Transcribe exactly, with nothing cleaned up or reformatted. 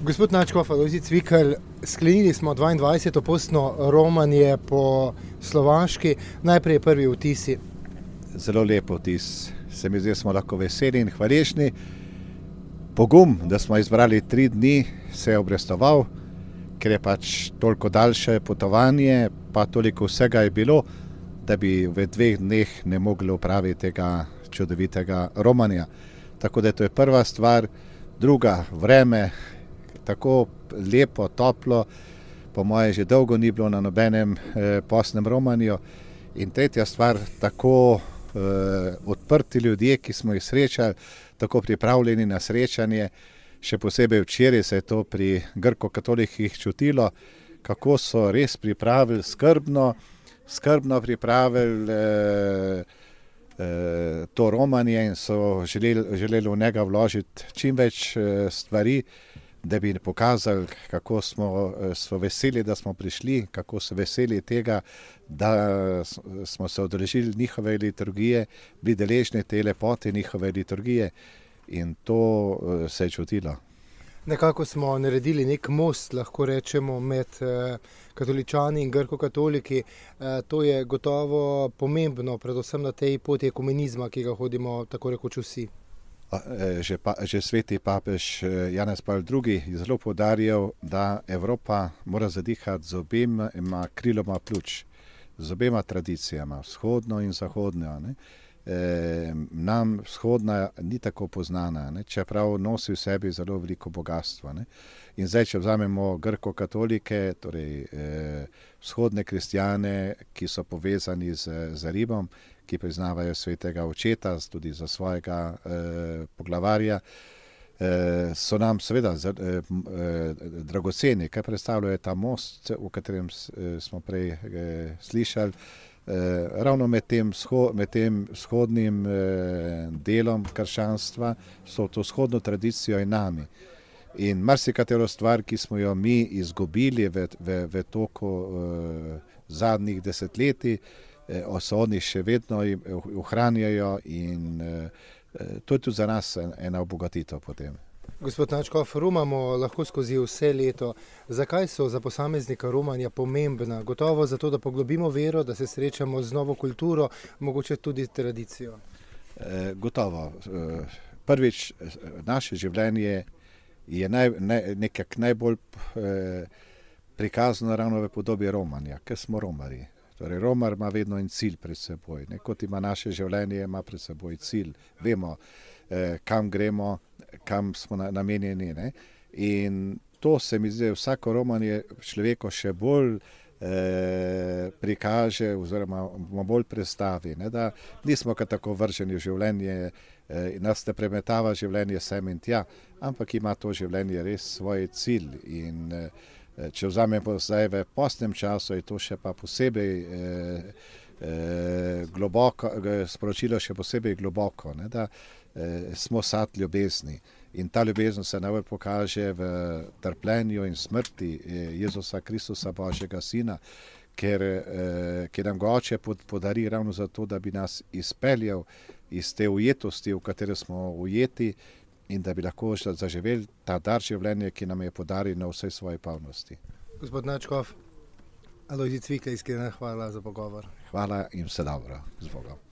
Gospod Nadškof, Alojzij Cvikl, sklenili smo dvaindvajseto postno romanje po Slovaški. Najprej prvi vtisi. Zelo lep vtis. Se mi zdi, da smo lahko veseli in hvaležni. Pogum, da smo izbrali tri dni, se je obrestoval, ker je pač toliko daljše potovanje, pa toliko vsega je bilo, da bi v dveh dneh ne mogli opraviti tega čudovitega romanja. Tako da to je prva stvar. Druga, vreme, tako lepo, toplo, po moje že dolgo ni bilo na nobenem eh, postnem romanju. In tretja stvar, tako eh, odprti ljudje, ki smo jih srečali, tako pripravljeni na srečanje, še posebej včeraj se je to pri grko-katolikih čutilo, kako so res pripravili skrbno, skrbno pripravili eh, eh, to romanje in so želeli, želeli v njega vložiti čim več eh, stvari, da bi pokazali, kako smo, smo veseli, da smo prišli, kako so veseli tega, da smo se udeležili njihove liturgije, bili deležni te lepote njihove liturgije in to se je čutilo. Nekako smo naredili nek most, lahko rečemo, med katoličani in grko-katoliki. To je gotovo pomembno, predvsem na tej poti ekumenizma, ki ga hodimo tako rekoč vsi. Že, pa, že sveti papež Janez Pavel drugi je zelo poudarjal, da Evropa mora zadihati z obema kriloma pljuč, z obema tradicijama, vzhodno in zahodno. Ne. E, nam vzhodna ni tako poznana, ne, čeprav nosi v sebi zelo veliko bogatstva. Ne. In zdaj, če vzamemo grko-katolike, torej e, vzhodne kristjane, ki so povezani z, z Rimom, ki priznavajo svetega očeta tudi za svojega eh, poglavarja, eh, so nam seveda z, eh, eh, dragoceni, kaj predstavljajo ta most, o katerem eh, smo prej eh, slišali, eh, ravno med tem, sho, med tem vzhodnim eh, delom krščanstva, so to vzhodno tradicijo in nami. In marsikatero stvar, ki smo jo mi izgubili v, v, v toku eh, zadnjih desetletij, so oni še vedno ohranjajo in to je tudi za nas ena obogatitev potem. Gospod Nadškof, romamo lahko skozi vse leto. Zakaj so za posameznika romanja pomembna? Gotovo zato, da poglobimo vero, da se srečamo z novo kulturo, mogoče tudi tradicijo. E, gotovo. Prvič, naše življenje je naj, ne, nekak najbolj eh, prikazano ravno v podobi romanja, ker smo romari. Torej, romar ima vedno en cilj pred seboj. Ne? Kot ima naše življenje, ima pred seboj cilj. Vemo, eh, kam gremo, kam smo na, namenjeni. Ne? In to se mi zdi, vsako romanje človeko še bolj eh, prikaže oziroma bolj predstavi. Ne? Da nismo kar tako vrženi v življenje, eh, nas ne premetava življenje sem in tja, ampak ima to življenje res svoj cilj. In eh, če vzamemo zdaj v postnem času, je to še pa posebej eh, eh, globoko, sporočilo še posebej globoko, ne, da eh, smo sad ljubezni. In ta ljubezen se najbolj pokaže v trpljenju in smrti eh, Jezusa Kristusa, Božjega Sina, ker, eh, ker nam ga Oče podari ravno zato, da bi nas izpeljal iz te ujetosti, v kateri smo ujeti, in da bi lahko zaživeli ta dar življenja, ki nam je podaril na vsej svoji polnosti. Gospod Nadškof, Alojzij Cvikl, iskrena hvala za pogovor. Hvala in vse dobro. Z Bogom.